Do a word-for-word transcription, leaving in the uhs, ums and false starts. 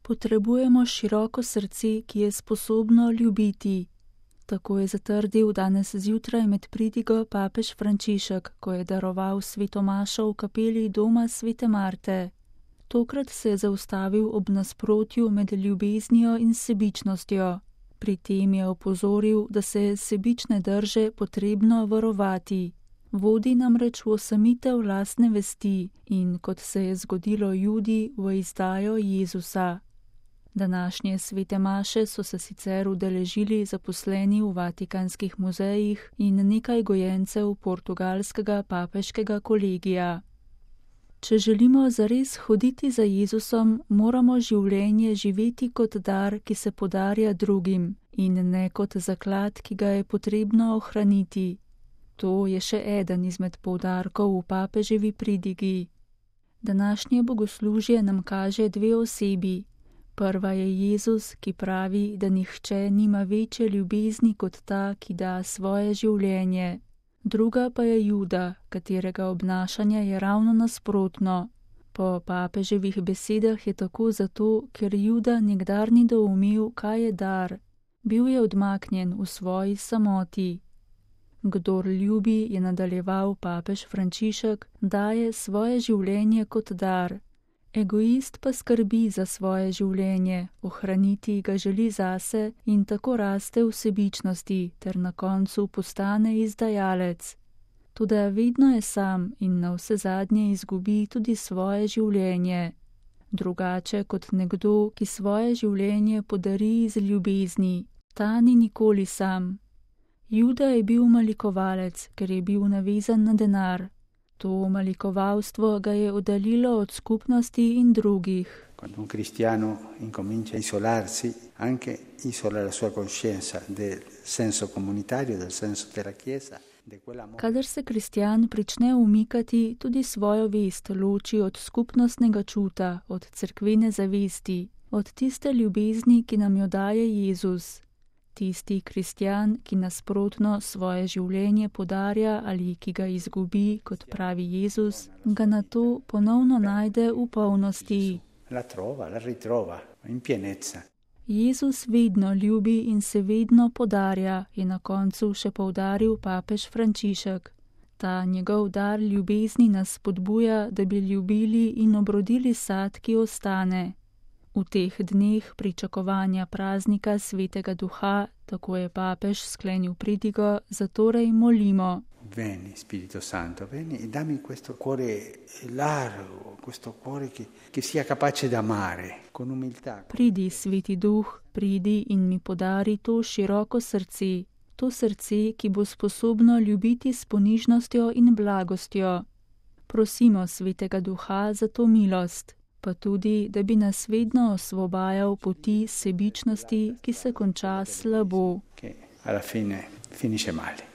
Potrebujemo široko srce, ki je sposobno ljubiti. Tako je zatrdil danes zjutraj med pridigo papež Frančišek, ko je daroval sveto mašo v kapeli doma svete Marte. Tokrat se je zaustavil ob nasprotju med ljubeznijo in sebičnostjo. Pri tem je opozoril, da se je sebične drže potrebno varovati. Vodi namreč v osamitev lastne vesti in, kot se je zgodilo Judi, v izdajo Jezusa. Današnje svete maše so se sicer udeležili zaposleni v vatikanskih muzejih in nekaj gojencev portugalskega papeškega kolegija. Če želimo zares hoditi za Jezusom, moramo življenje živeti kot dar, ki se podarja drugim, in ne kot zaklad, ki ga je potrebno ohraniti. To je še eden izmed poudarkov v papeževi pridigi. Današnje bogoslužje nam kaže dve osebi. Prva je Jezus, ki pravi, da nihče nima večje ljubezni kot ta, ki da svoje življenje. Druga pa je Juda, katerega obnašanje je ravno nasprotno. Po papeževih besedah je tako zato, ker Juda nikdar ni doumel, kaj je dar. Bil je odmaknjen v svoji samoti. Kdor ljubi, je nadaljeval papež Frančišek, daje svoje življenje kot dar. Egoist pa skrbi za svoje življenje, ohraniti ga želi zase in tako raste v sebičnosti ter na koncu postane izdajalec. Toda vedno je sam in na vse zadnje izgubi tudi svoje življenje. Drugače kot nekdo, ki svoje življenje podari iz ljubezni, ta ni nikoli sam. Juda je bil malikovalec, ker je bil navezan na denar. To malikovalstvo ga je oddaljilo od skupnosti in drugih. Quando un cristiano incomincia a isolarsi, anche isola la sua coscienza del senso comunitario, del senso della Chiesa. Kadar se kristjan prične umikati, tudi svojo vest loči od skupnostnega čuta, od cerkvene zavesti, od tiste ljubezni, ki nam jo daje Jezus. Tisti kristjan, ki nasprotno svoje življenje podarja ali ki ga izgubi, kot pravi Jezus, ga nato ponovno najde v polnosti. La trova, la ritrova, in pienezza. Jezus vedno ljubi in se vedno podarja, je na koncu še poudaril papež Frančišek. Ta njegov dar ljubezni nas spodbuja, da bi ljubili in obrodili sad, ki ostane. V teh dneh pričakovanja praznika svetega duha, tako je papež sklenil pridigo, zatorej molimo. Veni, Spirito Santo, veni e dammi questo cuore largo, questo cuore che, che sia capace d'amare, con umiltà. Pridi, sveti duh, pridi in mi podari to široko srce, to srce, ki bo sposobno ljubiti s ponižnostjo in blagostjo. Prosimo svetega duha za to milost, pa tudi, da bi nas vedno osvobajal poti sebičnosti, ki se konča slabo. Che alla fine finisce male.